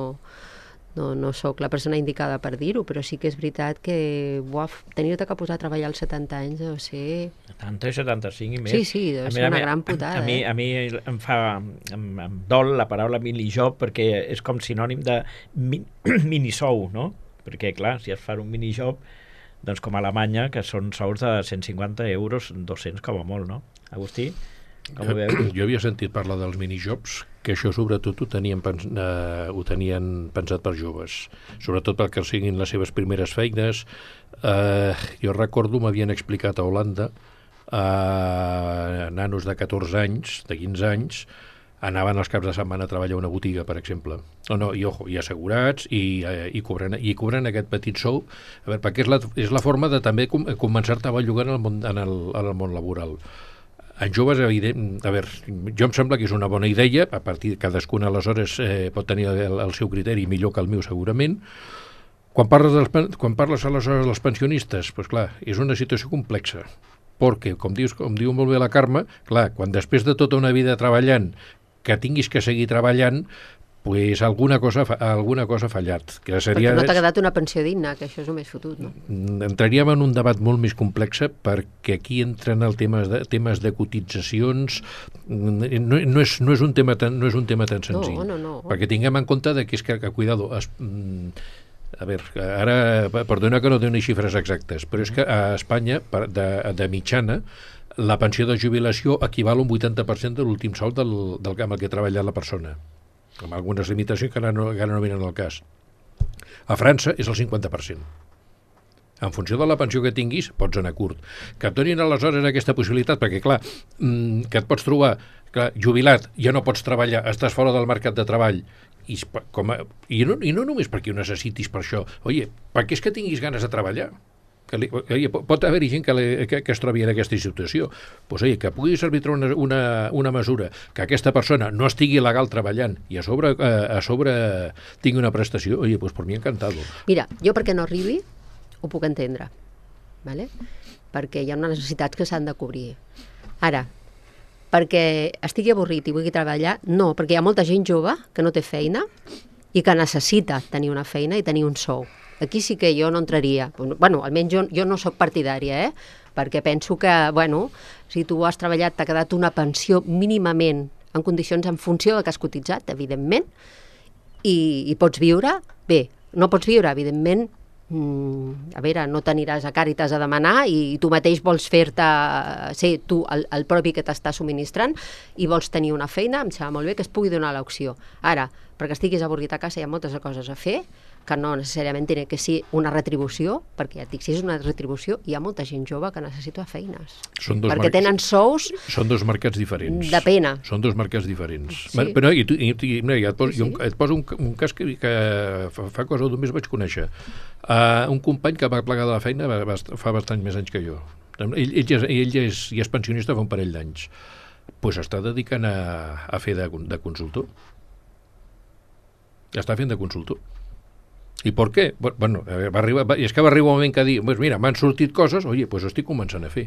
no, no sóc la persona indicada per dir-ho, però sí que és veritat que buaf, tenir-te que posar a treballar als setanta anys deu ser... setanta i setanta-cinc i més. Sí, sí, deu A ser mi- a una mi- gran putada, A mi, eh? a mi em fa... Em, em dol la paraula minijob perquè és com sinònim de mi, minisou, no? Perquè, clar, si es fa un minijob, doncs com a Alemanya, que són sous de cent cinquanta euros, dos-cents com a molt, no? Agustí, com ho veus? Jo havia sentit parlar dels minijobs, que això sobretot ho tenien, pens eh, ho tenien pensat per joves, sobretot perquè siguin les seves primeres feines. Eh, jo recordo, m'havien explicat a Holanda, eh, nanos de catorze anys, de quinze anys, anaven els caps de setmana a treballar a una botiga, per exemple. No, no, i ojo, i assegurats, i, eh, i, cobren, i cobren aquest petit sou, a veure, perquè és la, és la forma de també com, començar-te a bellugar en el món, en el, en el món laboral. En joves, evident, a veure, jo em sembla que és una bona idea, a partir de cadascun aleshores eh, pot tenir el, el seu criteri millor que el meu segurament. Quan parles, dels, pen- quan parles aleshores dels pensionistes, doncs clar, és una situació complexa, perquè, com, dius, com diu molt bé la Carme, clar, quan després de tota una vida treballant, que tinguis que seguir treballant, pues alguna cosa, fa- alguna cosa ha fallat. Que seria, Perquè no t'ha quedat una pensió digna, que això és el més fotut, no? entraríem en un debat molt més complex perquè aquí entren el temes de, temes de cotitzacions. No, no, és, no, és un tema tan, no és un tema tan senzill. No, no, no. Perquè tinguem en compte de que és que, que cuidado, es, mm, a veure, ara, perdona que no doni xifres exactes, però és que a Espanya, per- de, de mitjana, la pensió de jubilació equival a un vuitanta per cent de l'últim sou del, del camp en què ha treballat la persona, amb algunes limitacions que ara no, que ara no venen al cas. A França és el cinquanta per cent. En funció de la pensió que tinguis, pots anar curt. Que et donin aleshores aquesta possibilitat, perquè clar, mm, que et pots trobar clar, jubilat, ja no pots treballar, estàs fora del mercat de treball i, com a, i, no, i no només perquè ho necessitis per això, oye, perquè és que tinguis ganes de treballar. Que li, oye, pot haver-hi gent que, li, que, que es trobi en aquesta situació. Pues, oye, que pugui servir una, una, una mesura que aquesta persona no estigui legal treballant i a sobre, a, a sobre tingui una prestació, oye, pues per mi encantado. Mira, jo perquè no arribi ho puc entendre, ¿vale? Perquè hi ha unes necessitats que s'han de cobrir. Ara, perquè estigui avorrit i vulgui treballar, no, perquè hi ha molta gent jove que no té feina i que necessita tenir una feina i tenir un sou. Aquí sí que jo no entraria. Bueno, almenys jo, jo no sóc partidària, eh? Perquè penso que, bueno, si tu has treballat, t'ha quedat una pensió mínimament en condicions en funció del que has cotitzat, evidentment, i, i pots viure, bé, no pots viure, evidentment, mm, a veure, no t'aniràs a Càritas a demanar i tu mateix vols fer-te, ser tu el, el propi que t'està subministrant i vols tenir una feina, em sembla molt bé que es pugui donar l'opció. Ara, perquè estiguis avorrit a casa hi ha moltes coses a fer, que no necessàriament té que ser una retribució, perquè ja et dic, si és una retribució, hi ha molta gent jove que necessita feines. Són dos perquè mercats, tenen sous... Són dos mercats diferents. De pena. Són dos mercats diferents. Sí. Però, i tu, i, i, mira, ja et, pos, Sí, sí. jo, et poso un, un cas que, que fa, fa cosa d'un mes vaig conèixer. Uh, un company que va plegar de la feina va, va, fa bastant més anys que jo. Ell, ell, ja, ell ja, és, ja és pensionista fa un parell d'anys. Doncs pues està dedicant a, a fer de, de consultor. Ja està fent de consultor. I per què? Bueno, va arribar, va, és que va arribar un moment que dir, pues mira, m'han sortit coses, oye, pues estic començant a fer.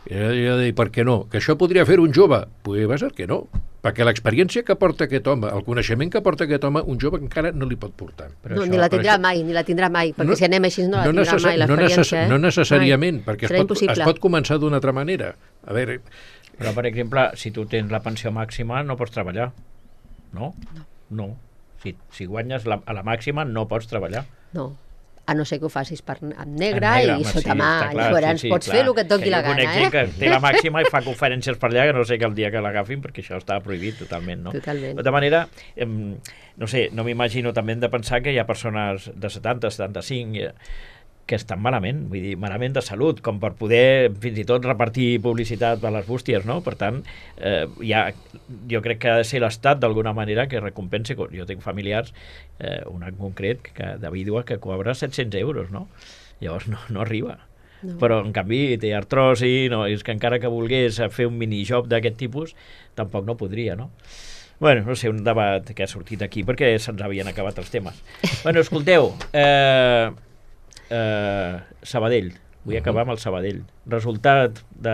I jo deia, per què no? Que això podria fer un jove? Pues va ser que no, perquè l'experiència que porta aquest home, el coneixement que porta aquest home, un jove encara no li pot portar. Però no, això, ni la tindrà això... mai, ni la tindrà mai, perquè no, si anem així no la no tindrà mai, l'experiència. No, necess eh? no necessàriament, mai. Perquè Serà es pot, es pot començar d'una altra manera. A veure... Però, per exemple, si tu tens la pensió màxima, no pots treballar. No? No. No. Si, si guanyes la, a la màxima, no pots treballar. No, a no ser que ho facis per, amb negre, negre i home, sota sí, mà, clar, llavors sí, sí, pots clar. fer el que et toqui que la jo gana, eh? eh? Que té la màxima i fa conferències per allà, que no sé que el dia que l'agafin, perquè això està prohibit totalment, no? Totalment. De tota manera, eh, no sé, no m'imagino també de pensar que hi ha persones de setanta, setanta-cinc, eh, que estan malament, vull dir, malament de salut, com per poder fins i tot repartir publicitat per les bústies, no? Per tant, eh, ja, jo crec que ha de ser l'Estat d'alguna manera que recompensi. Jo tinc familiars, eh, una en concret, que, de vídua, que cobra set-cents euros, no? Llavors no, no arriba. No. Però, en canvi, té artrosi, no? És que encara que volgués fer un minijob d'aquest tipus, tampoc no podria, no? Bueno, no sé, un debat que ha sortit aquí, perquè se'ns havien acabat els temes. Bueno, escolteu, eh... Uh, Sabadell, vull acabar amb el Sabadell. Resultat de...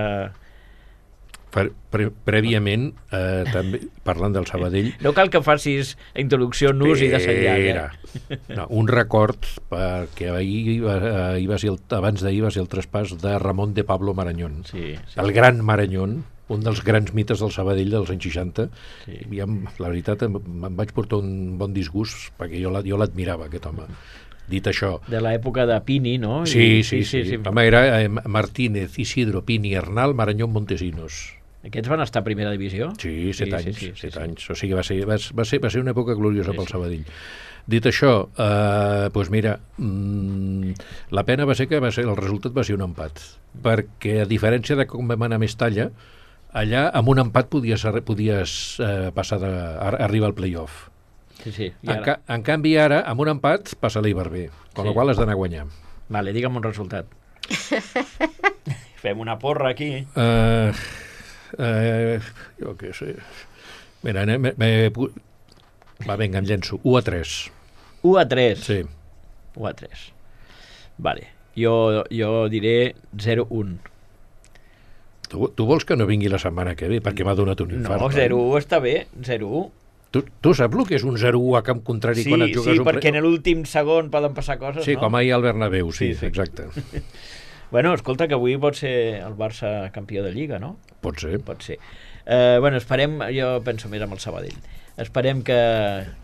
Pre prèviament, eh, també, parlant del Sabadell... No cal que facis introducció, nus i desenllà. No, un record, perquè ahir, ahir va ser el, abans d'ahir va ser el traspàs de Ramon de Pablo Marañón. Sí, sí. El gran Marañón, un dels grans mites del Sabadell dels anys seixanta. Sí. I em, la veritat, em, em vaig portar un bon disgust, perquè jo l'admirava, aquest home. Dit això... De l'època de Pini, no? Sí, I, sí, sí. sí, sí. sí. Home, era eh, Martínez, Isidro, Pini, Arnal, Marañón, Montesinos. Aquests van estar a primera divisió? Sí, set sí, anys. Sí, sí, set sí, anys. O sigui, va ser, va, va, ser, va ser una època gloriosa sí, pel Sabadell. Sí. Dit això, eh, doncs mira, mmm, la pena va ser que va ser, el resultat va ser un empat. Perquè, a diferència de com vam anar a Mestalla, allà amb un empat podies, podies eh, passar de, arribar al play-off. Sí, sí. En, ca en canvi, ara, amb un empat, passa l'Iberber, amb sí. la qual has d'anar a guanyar. Vale, digue'm un resultat. Fem una porra aquí. Uh, uh, jo què sé. Mira, me, me, va, vinga, em llenço. u a tres. u a tres? Sí. u a tres. Vale. Jo, jo diré zero a un. Tu, tu vols que no vingui la setmana que ve, perquè m'ha donat un infart. No, zero a u està bé, zero a u. Tu, tu saps el que és un zero a u a camp contrari sí, quan et jugues sí, un... Sí, perquè en l'últim segon poden passar coses, sí, no? Sí, com ahir al Bernabéu, sí, sí, sí. Exacte. Bueno, escolta, que avui pot ser el Barça campió de Lliga, no? Pot ser. Pot ser. Eh, bueno, esperem, jo penso més amb el Sabadell, esperem que,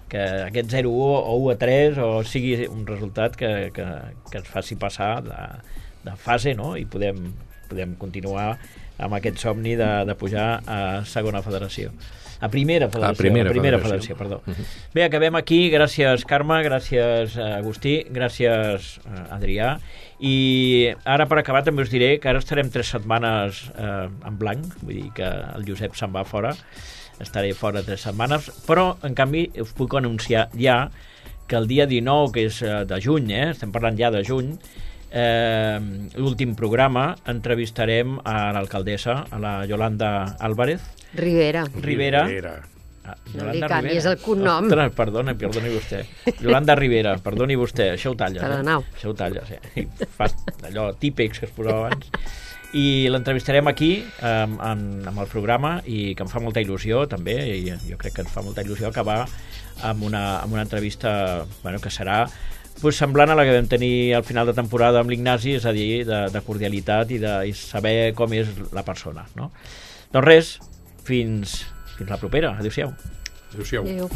que aquest zero a u o u a tres o sigui un resultat que, que, que ens faci passar de, de fase, no? I podem, podem continuar amb aquest somni de, de pujar a segona federació. A primera federació, a primera, a primera federació, federació perdó. Uh-huh. Bé, acabem aquí. Gràcies, Carme, gràcies, Agustí, gràcies, Adrià. I ara, per acabar, també us diré que ara estarem tres setmanes eh, en blanc, vull dir que el Josep se'n va fora. estaré fora tres setmanes, però en canvi us puc anunciar ja que el dia dinou, que és de juny, eh? Estem parlant ja de juny, eh, l'últim programa, entrevistarem a l'alcaldessa, a la Yolanda Álvarez. Rivera. Rivera. Rivera. Ah, No li canvies el cognom. Ostres, perdona, perdoni vostè. Yolanda Rivera, perdoni vostè, això ho talles. Perdoneu. Eh? Això ho talles, eh? Fas allò típics que es posava abans. I l'entrevistarem aquí amb, amb, amb el programa i que em fa molta il·lusió també, i jo crec que ens fa molta il·lusió acabar amb una, amb una entrevista bueno, que serà pues, semblant a la que vam tenir al final de temporada amb l'Ignasi, és a dir, de, de cordialitat i de i saber com és la persona, no? Doncs res, fins, fins la propera. Adéu-siau. Adéu-siau. Adéu.